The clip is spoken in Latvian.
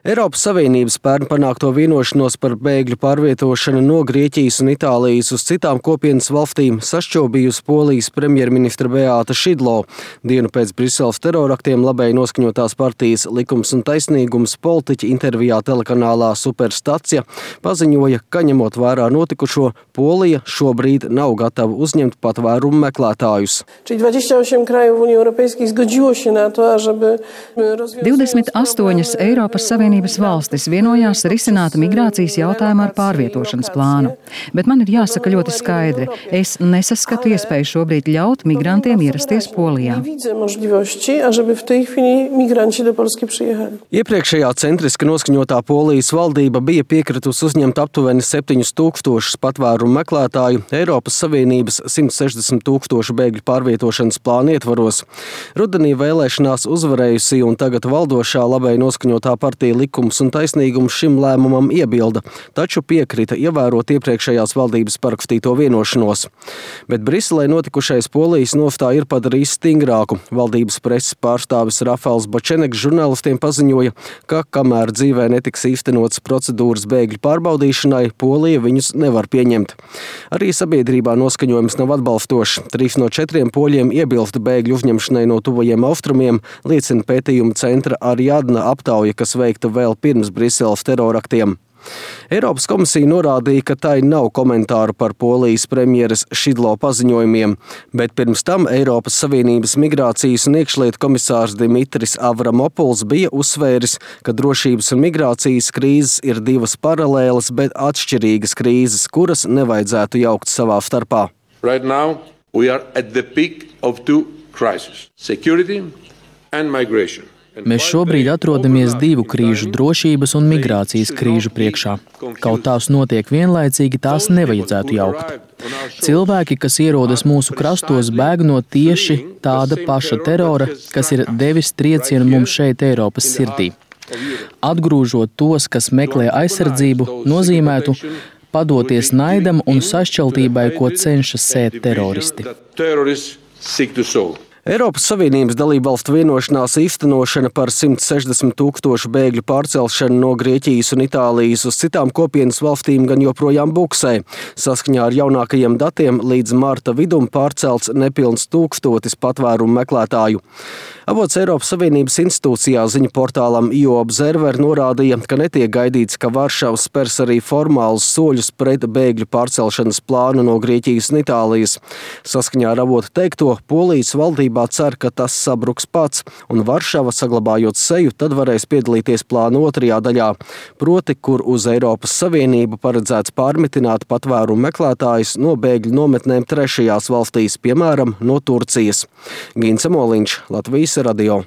Eiropas Savienības pērn panākto vienošanos par bēgļu pārvietošanu no Grieķijas un Itālijas uz citām kopienas valstīm sašķobījusi Polijas premjerministra Beāta Šidlo. Dienu pēc Briseles teroraktiem labēji noskaņotās partijas Likums un taisnīgums politiķi intervijā telekanālā Superstacija paziņoja, ka ņemot vērā notikušo, Polija šobrīd nav gatava uzņemt patvērumu meklētājus. 28 Eiropas Savienības valstis vienojās risināt migrācijas jautājumu ar pārvietošanas plānu. Bet man ir jāsaka ļoti skaidri, es nesaskatu iespēju šobrīd ļaut migrantiem ierasties Polijā. Iepriekšējā centriski noskaņotā Polijas valdība bija piekritusi uzņemt aptuveni 7,000 patvērumu meklētāju Eiropas Savienības 160,000 bēgļu pārvietošanas plāna ietvaros. Rudenī vēlēšanās uzvarējusi un tagad valdošā labēji noskaņotā partija Likums un taisnīgums šim lēmumam iebilda, taču piekrita ievērot iepriekšējās valdības parakstīto vienošanos. Bet Briselē notikušais Polijas nostāju ir padarījis stingrāku. Valdības preses pārstāvis Rafals Bočeneks žurnālistiem paziņoja, ka kamēr dzīvē netiks īstenotas procedūras bēgļu pārbaudīšanai, Polija viņus nevar pieņemt. Arī sabiedrībā noskaņojums nav atbalstošs. 3 no 4 poļiem iebilst bēgļu uzņemšanai no tuvajiem austrumiem, liecina pētījuma centra Ariadna aptauja, kas veikta vēl pirms Briseles teroraktiem. Eiropas komisija norādīja, ka tai nav komentāru par Polijas premjeres Šidlo paziņojumiem, bet pirms tam Eiropas Savienības migrācijas un iekšlietu komisārs Dimitris Avramopuls bija uzsvēris, ka drošības un migrācijas krīzes ir divas paralēlas, bet atšķirīgas krīzes, kuras nevajadzētu jaukt savā starpā. Right now, we are at the peak of two crises: security and migration. Mēs šobrīd atrodamies 2 krīžu, drošības un migrācijas krīžu priekšā. Kaut tās notiek vienlaicīgi, tās nevajadzētu jaukt. Cilvēki, kas ierodas mūsu krastos, bēg no tieši tāda paša terora, kas ir devis triecienu mums šeit Eiropas sirdī. Atgrūžot tos, kas meklē aizsardzību, nozīmētu padoties naidam un sašķeltībai, ko cenšas sēt teroristi. Eiropas Savienības dalībvalstu vienošanās īstenošana par 160,000 bēgļu pārcelšanu no Grieķijas un Itālijas uz citām kopienas valstīm gan joprojām buksē. Saskaņā ar jaunākajiem datiem līdz marta vidum pārcelts nepilns 1000 patvērumu meklētāju. Avots Eiropas Savienības institūcijā ziņu portālam EU Observer norādīja, ka netiek gaidīts, ka Varšava spers arī formālus soļus pret bēgļu pārcelšanas plānu no Grieķijas un Itālijas. Saskaņā ar avotu teikto, Polijas valdībā cer, ka tas sabruks pats, un Varšava, saglabājot seju, tad varēs piedalīties plāna otrajā daļā, proti, kur uz Eiropas Savienību paredzēts pārmitināt patvērumu meklētājus no bēgļu nometnēm trešajās valstīs, piemēram, no Turcijas. Gints Moliņš, Latvijas radio.